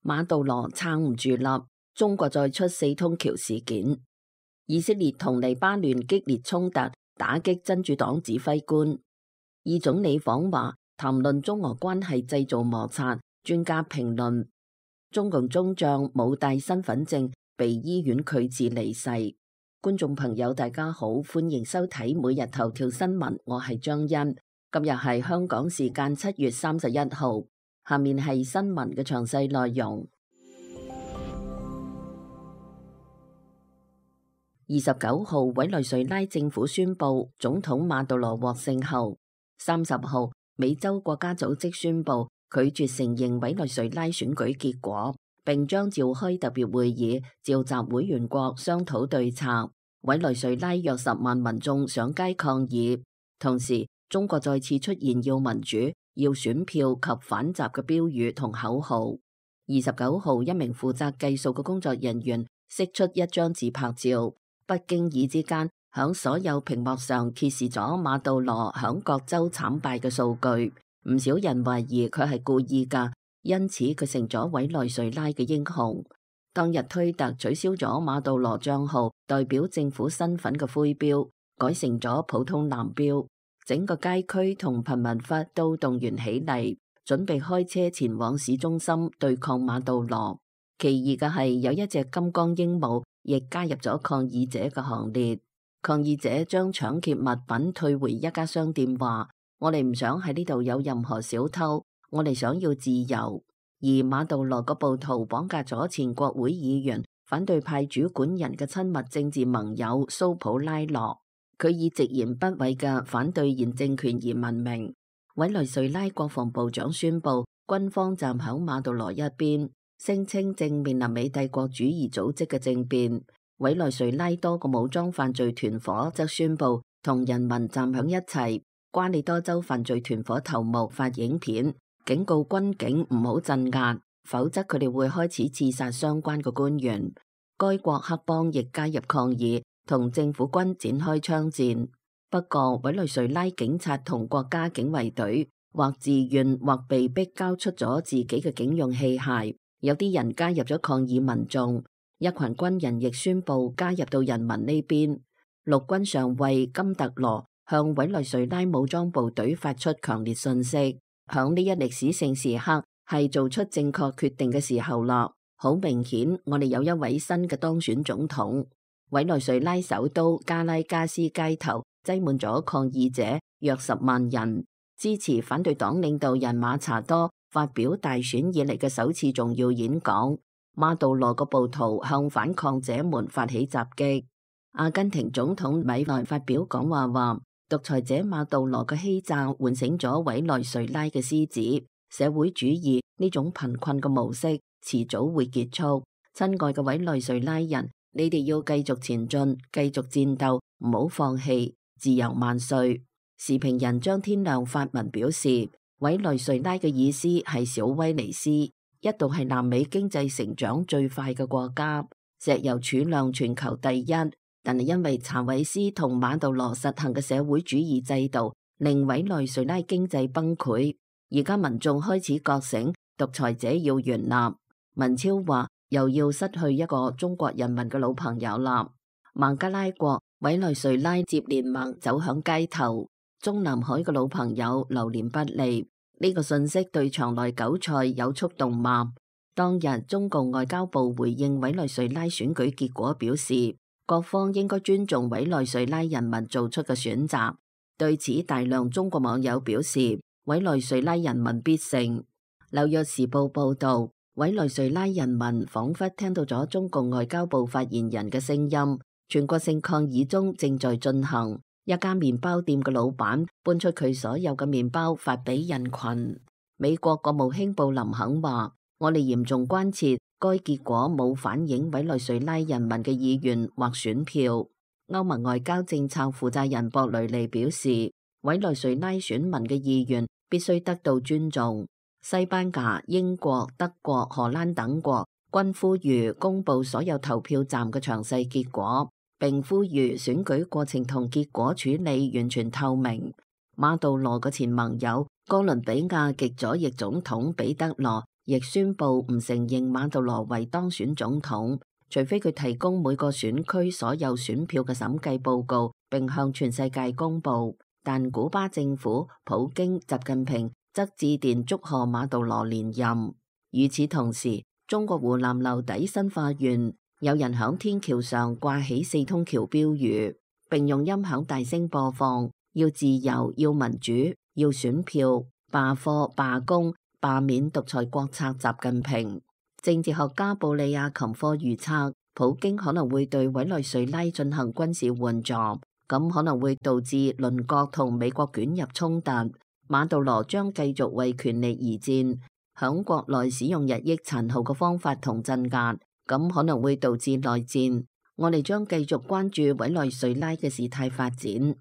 馬杜羅撐唔住啦，中國再出4通橋事件。以色列同黎巴嫩激烈衝突，打擊真主黨指揮官。以總理訪華，談論中俄關係製造摩擦。專家評論，中共中將冇帶身份證，被醫院拒絕離世。觀眾朋友大家好，歡迎收睇每日頭條新聞，我係張欣。今日係香港時間7月31號，下面係新聞嘅詳細內容。29號，委內瑞拉政府宣布總統馬杜羅獲勝後，30號，美洲國家組織宣布拒絕承認委內瑞拉選舉結果，並將召開特別會議，召集會員國商討對策。委內瑞拉約10萬民眾上街抗議，同時中國再次出現要民主、要選票及反習嘅標語同口號。29號，一名負責計數嘅工作人員釋出一張自拍照，不經意之間響所有屏幕上揭示咗馬杜羅響各州慘敗嘅數據。唔少人懷疑佢係故意噶，因此佢成咗委內瑞拉嘅英雄。當日推特取消咗馬杜羅賬號代表政府身份嘅灰標，改成咗普通藍標。整個街區同貧民窟都動員起嚟，準備開車前往市中心對抗馬杜羅。奇異嘅係，有一隻金剛鸚鵡亦加入咗抗議者嘅行列。抗議者將搶劫物品退回一家商店，話：我哋唔想喺呢度有任何小偷，我哋想要自由。而馬杜羅個暴徒綁架咗前國會議員、反對派主管人嘅親密政治盟友蘇普拉諾，佢以直言不諱嘅反對現政權而聞名。委內瑞拉國防部長宣布，軍方站響馬杜羅一邊，聲稱正面臨美帝國主義組織嘅政變。委內瑞拉多個武裝犯罪團夥則宣布同人民站響一齊。瓜里多州犯罪團夥頭目發影片，警告軍警唔好鎮壓，否則佢哋會開始刺殺相關嘅官員。該國黑幫亦加入抗議，同政府軍展開槍戰。不過，委內瑞拉警察同國家警衛隊或自願或被逼交出咗自己嘅警用器械，有啲人加入咗抗議民眾。一群軍人亦宣布加入到人民呢邊。陸軍上尉金特羅向委內瑞拉武裝部隊發出強烈訊息，響呢一歷史性時刻係做出正確決定嘅時候啦。好明顯，我哋有一位新嘅當選總統。委內瑞拉首都加拉加斯街頭擠滿咗抗議者，約10萬人支持反對黨領導人馬查多發表大選以嚟嘅首次重要演講。馬杜羅個暴徒向反抗者們發起襲擊。阿根廷總統米萊發表講話話，獨裁者馬杜羅嘅欺詐喚醒咗委內瑞拉嘅獅子，社會主義呢種貧困嘅模式遲早會結束。親愛嘅委內瑞拉人，你哋要繼續前進，繼續戰鬥，唔好放棄，自由萬歲。時評人張天亮發文表示，委內瑞拉嘅意思係小威尼斯，一度係南美經濟成長最快嘅國家，石油儲量全球第一，但係因為查韋斯同馬杜羅實行嘅社會主義制度，令委內瑞拉經濟崩潰。而家民眾開始覺醒，獨裁者要懸立。文超話又要失去一個中國人民嘅老朋友啦。孟加拉國、委內瑞拉接聯盟走向街頭，中南海嘅老朋友流年不利。呢個信息對場內韭菜有觸動嗎？當日中共外交部回應委內瑞拉選舉結果表示，各方應該尊重委內瑞拉人民做出嘅選擇。對此，大量中國網友表示，委內瑞拉人民必勝。紐約時報報道，委內瑞拉人民仿佛聽到咗中共外交部發言人嘅聲音。全國性抗議中正在進行。一家麵包店嘅老闆搬出佢所有嘅麵包發俾人群。美國國務卿布林肯話：我哋嚴重關切該結果冇反映委內瑞拉人民嘅意願或選票。歐盟外交政策負責人博雷利表示，委內瑞拉選民嘅意願必須得到尊重。西班牙、英國、德國、荷蘭等國均呼籲公布所有投票站嘅詳細結果，並呼籲選舉過程同結果處理完全透明。馬杜羅嘅前盟友哥倫比亞極左翼總統彼得羅亦宣布唔承認馬杜羅為當選總統，除非佢提供每個選區所有選票嘅審計報告，並向全世界公佈。但古巴政府、普京、習近平則致電祝賀馬杜羅連任。與此同時，中國湖南樓底新花園有人響天橋上掛起4通橋標語，並用音響大聲播放要自由、要民主、要選票、罷課、罷工、罷免獨裁國策習近平。政治學家布里亞琴科預測，普京可能會對委內瑞拉進行軍事援助，咁可能會導致鄰國同美國捲入衝突。馬杜羅將繼續為權力而戰，響國內使用日益殘酷嘅方法同鎮壓，咁可能會導致內戰。我哋將繼續關注委內瑞拉嘅事態發展。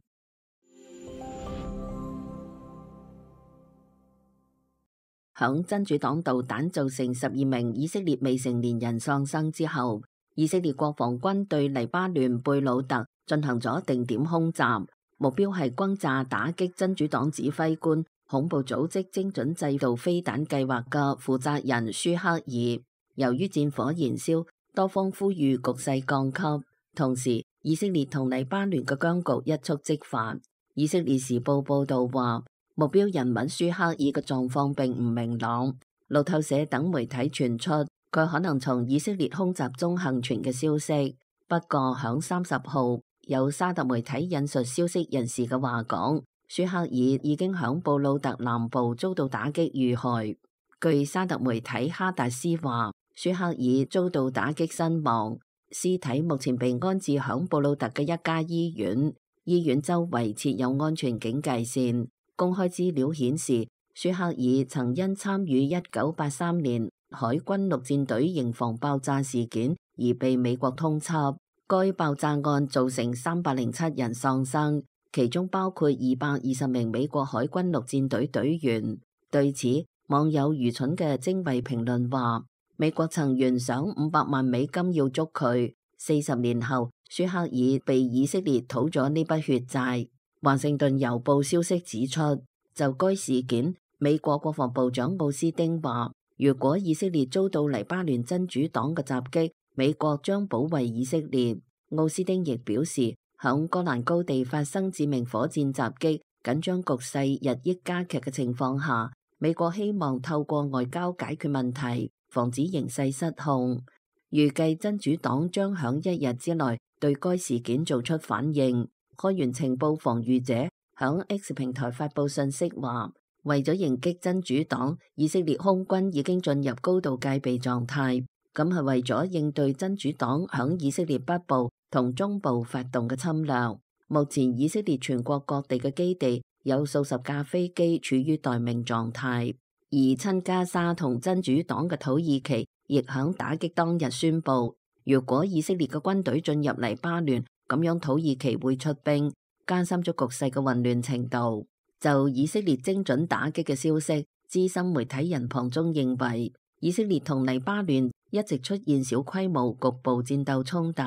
響真主黨導彈造成12名以色列未成年人喪生之後，以色列國防軍對黎巴嫩貝魯特進行咗定點空襲，目標係轟炸打擊真主黨指揮官恐怖組織精準製導飛彈計劃嘅負責人舒克爾。由於戰火燃燒，多方呼籲局勢降級，同時以色列同黎巴嫩嘅僵局一觸即發。以色列時報報道話，目標人物舒克爾嘅狀況並唔明朗。路透社等媒體傳出佢可能從以色列空襲中幸存嘅消息。不過響30號，有沙特媒體引述消息人士嘅話講，舒克爾已經響布魯特南部遭到打擊遇害。據沙特媒體哈達斯話，舒克爾遭到打擊身亡，屍體目前被安置響布魯特嘅一家醫院，醫院周圍設有安全警戒線。公開資料顯示，舒克爾曾因參與1983年海軍陸戰隊營房爆炸事件而被美國通緝。該爆炸案造成307人喪生，其中包括220名美國海軍陸戰隊隊員。對此，網友愚蠢嘅精衛評論話，美國曾懸賞500萬美金要捉佢。40年後，舒克爾被以色列討咗呢筆血債。華盛頓郵報消息指出，就該事件，美國國防部長奧斯丁話，如果以色列遭到黎巴嫩真主黨嘅襲擊，美國將保衛以色列。奧斯丁亦表示，響戈蘭高地發生致命火箭襲擊、緊張局勢日益加劇嘅情況下，美國希望透過外交解決問題，防止形勢失控。預計真主黨將響1日之內對該事件做出反應。開源情報防禦者響 X 平台發布信息話，為咗迎擊真主黨，以色列空軍已經進入高度戒備狀態。咁係為咗應對真主黨響以色列北部同中部發動嘅侵略。目前以色列全國各地嘅基地有數十架飛機處於待命狀態，而親加沙同真主黨嘅土耳其亦響打擊當日宣布，如果以色列嘅軍隊進入黎巴嫩，咁樣土耳其會出兵，加深咗局勢嘅混亂程度。就以色列精準打擊嘅消息，資深媒體人龐中認為，以色列同黎巴嫩一直出現小規模局部戰鬥衝突。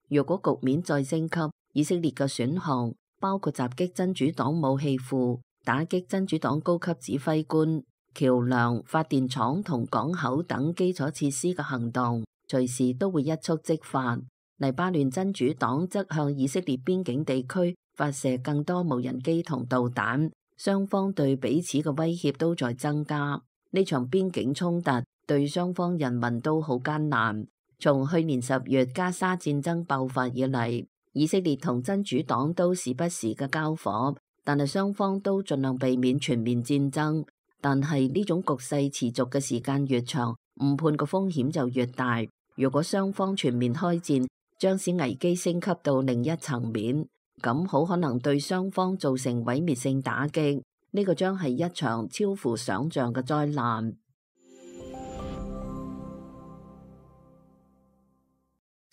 如果局面再升級，以色列嘅選項包括襲擊真主黨武器庫、打擊真主黨高級指揮官、橋梁、發電廠同港口等基礎設施嘅行動，隨時都會一觸即發。黎巴嫩真主黨則向以色列邊境地區發射更多無人機同導彈，雙方對彼此嘅威脅都在增加。呢場邊境衝突對雙方人民都好艱難。從去年10月加沙戰爭爆發以嚟，以色列同真主黨都時不時嘅交火，但係雙方都盡量避免全面戰爭。但係呢種局勢持續嘅時間越長，誤判嘅風險就越大。如果雙方全面開戰，將使危機升級到另一層面，咁好可能對雙方造成毀滅性打擊。呢個將係一場超乎想象嘅災難。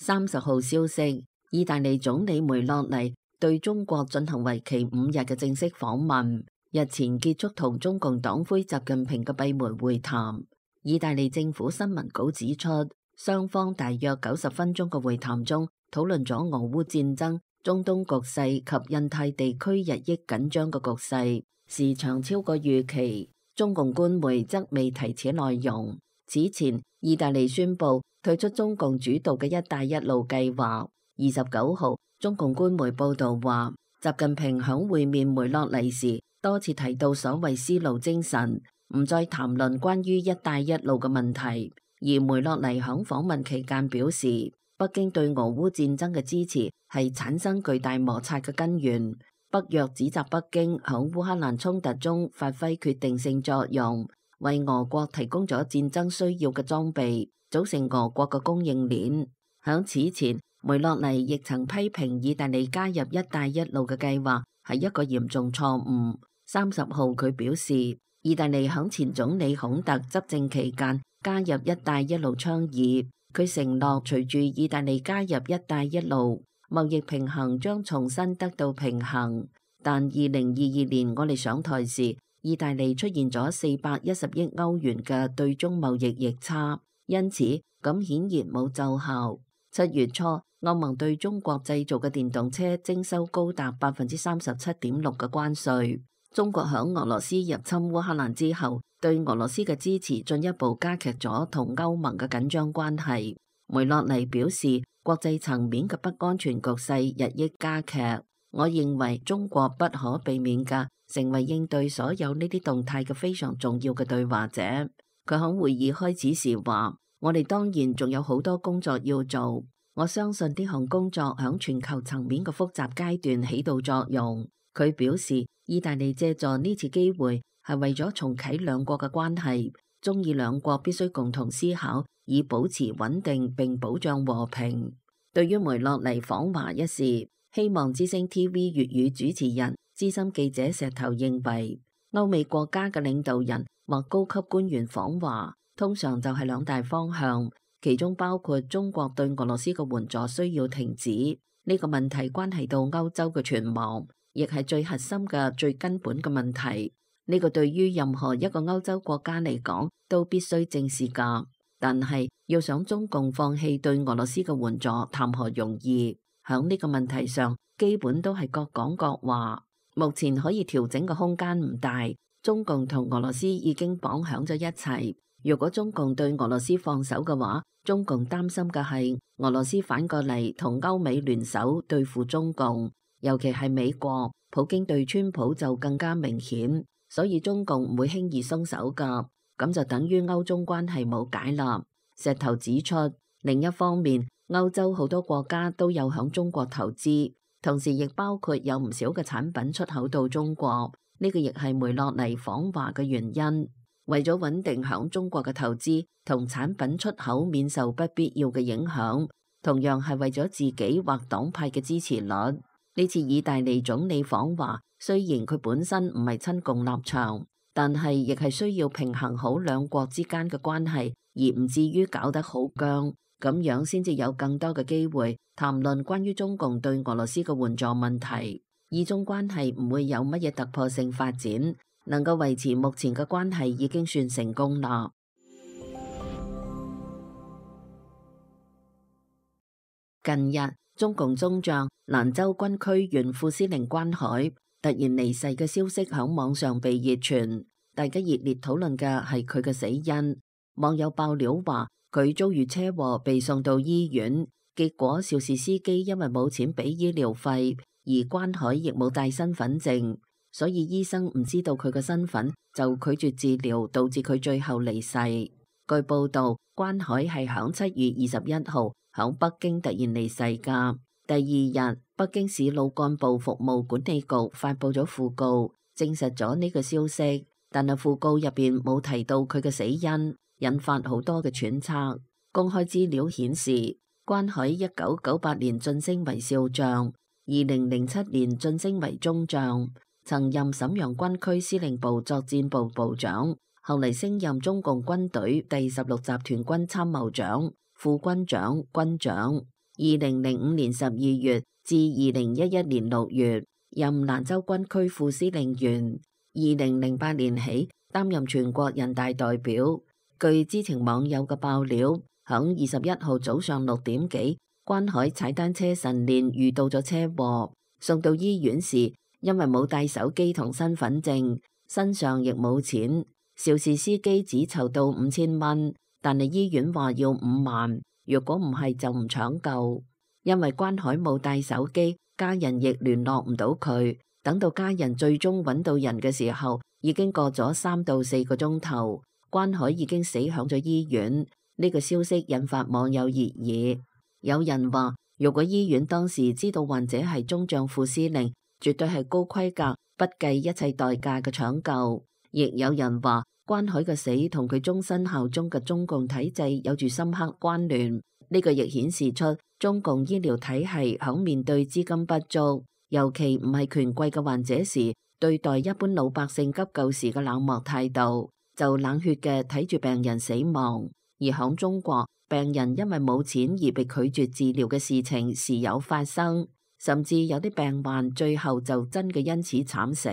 30號消息，意大利總理梅洛尼對中國進行為期5日嘅正式訪問，日前結束同中共黨魁習近平嘅閉門會談。意大利政府新聞稿指出，雙方大約90分鐘嘅會談中，討論咗俄烏戰爭、中東局勢及印太地區日益緊張嘅局勢，時長超過預期。中共官媒則未提此內容。此前，意大利宣布退出中共主導嘅一帶一路計劃。29號，中共官媒報道話，習近平響會面梅洛尼時多次提到所謂絲路精神，唔再談論關於一帶一路嘅問題。而梅洛尼響訪問期間表示，北京對俄烏戰爭嘅支持係產生巨大摩擦嘅根源。北約指責北京響烏克蘭衝突中發揮決定性作用，為俄國提供咗戰爭需要嘅裝備，組成俄國嘅供應鏈。響此前，梅洛尼亦曾批評意大利加入一帶一路嘅計劃係一個嚴重錯誤。30號佢表示，意大利響前總理孔特執政期間加入一帶一路倡議，佢承諾隨住意大利加入一帶一路，貿易平衡將重新得到平衡。但2022年我哋上台時，意大利出現咗410億歐元嘅對中貿易逆差，因此咁顯然冇奏效。7月初，歐盟對中國製造嘅電動車徵收高達37.6%嘅關稅。中國響俄羅斯入侵烏克蘭之後，對俄羅斯嘅支持進一步加劇咗同歐盟嘅緊張關係。梅洛尼表示，國際層面嘅不安全局勢日益加劇。我認為中國不可避免嘅成為應對所有呢啲動態嘅非常重要嘅對話者。佢響會議開始時話，我哋當然仲有好多工作要做。我相信呢項工作響全球層面嘅複雜階段起到作用。佢表示，意大利借助呢次機會係為咗重啟兩國嘅關係，中意兩國必須共同思考，以保持穩定並保障和平。對於梅洛尼訪華一事，希望之聲 TV 粵語主持人資深記者石頭認為，歐美國家嘅領導人或高級官員訪華，通常就係兩大方向，其中包括中國對俄羅斯嘅援助需要停止。呢個問題關係到歐洲嘅存亡，亦係最核心嘅最根本嘅問題。呢個對於任何一個歐洲國家嚟講都必須正視㗎。但係要想中共放棄對俄羅斯嘅援助，談何容易？響呢個問題上，基本都係各講各話。目前可以調整嘅空間唔大。中共同俄羅斯已經綁響咗一齊。如果中共對俄羅斯放手嘅話，中共擔心嘅係俄羅斯反過嚟同歐美聯手對付中共，尤其係美國。普京對川普就更加明顯，所以中共唔會輕易鬆手㗎。咁就等於歐中關係冇解啦。石頭指出，另一方面，歐洲好多國家都有響中國投資，同時亦包括有唔少嘅產品出口到中國。呢個亦係梅洛尼訪華嘅原因。為咗穩定響中國嘅投資同產品出口免受不必要嘅影響，同樣係為咗自己或黨派嘅支持率。呢次意大利總理訪華，雖然佢本身唔係親共立場，但係亦係需要平衡好兩國之間嘅關係，而唔至於搞得好僵，咁樣先至有更多嘅機會談論關於中共對俄羅斯嘅援助問題。意中關係唔會有乜嘢突破性發展，能夠維持目前嘅關係已經算成功啦。近日，中共中將蘭州軍區原副司令關海突然離世嘅消息響網上被熱傳，大家熱烈討論嘅係佢嘅死因。網友爆料話佢遭遇車禍被送到醫院，結果肇事司機因為冇錢俾醫療費，而關海亦冇帶身份證，所以醫生唔知道佢嘅身份，就拒絕治療，導致佢最後離世。據報道，關海係響7月21號響北京突然離世㗎。第二日，北京市路幹部服務管理局發佈咗訃告，證實咗呢個消息，但係訃告入邊冇提到佢嘅死因，引發好多嘅揣測。公開資料顯示，關海1998年晉升為少將，2007年晉升為中將，曾任瀋陽軍區司令部作戰部部長，後嚟升任中共軍隊第16集團軍參謀長、副軍長、軍長。2005年12月至2011年6月任蘭州軍區副司令員。2008年起擔任全國人大代表。據知情網友嘅爆料，響21號早上6點幾，關海踩單車晨練遇到咗車禍，送到醫院時因為冇帶手機同身份證，身上亦冇錢，肇事司機只籌到5000蚊，但係醫院話要5萬，如果唔係就唔搶救。因為關海冇帶手機，家人亦聯絡唔到佢。等到家人最終揾到人嘅時候，已經過咗3到4個鐘頭，關海已經死響咗醫院。呢個消息引發網友熱議，有人話如果醫院當時知道患者係中將副司令，絕對係高規格、不計一切代價嘅搶救。亦有人話關海嘅死同佢終身效忠嘅中共體制有住深刻關聯。呢個亦顯示出中共醫療體系響面對資金不足，尤其唔係權貴嘅患者時，對待一般老百姓急救時嘅冷漠態度，就冷血嘅睇住病人死亡。而響中國，病人因為冇錢而被拒絕治療嘅事情時有發生，甚至有啲病患最後就真嘅因此慘死。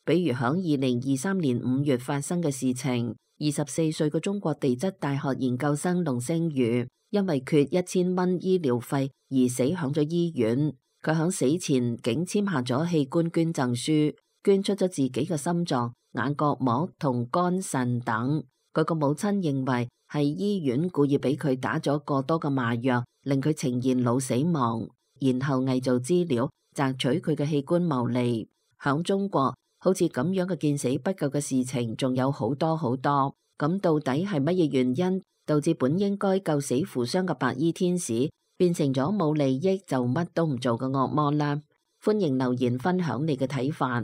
比如響2023年5月發生嘅事情，24歲嘅中國地質大學研究生龍星宇因為缺1000蚊醫療費而死響咗醫院。佢響死前竟簽下咗器官捐贈書，捐出咗自己嘅心臟、眼角膜同肝腎等。佢個母親認為係醫院故意俾佢打咗過多嘅麻藥，令佢呈現腦死亡，然後偽造資料，摘取佢嘅器官牟利。響中國，好似咁樣嘅見死不救嘅事情仲有好多好多。咁到底係乜嘢原因導致本應該救死扶傷嘅白衣天使變成咗冇利益就乜都唔做嘅惡魔啦？歡迎留言分享你嘅睇法。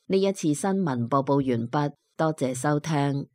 呢一次新聞播報完畢，多謝收聽。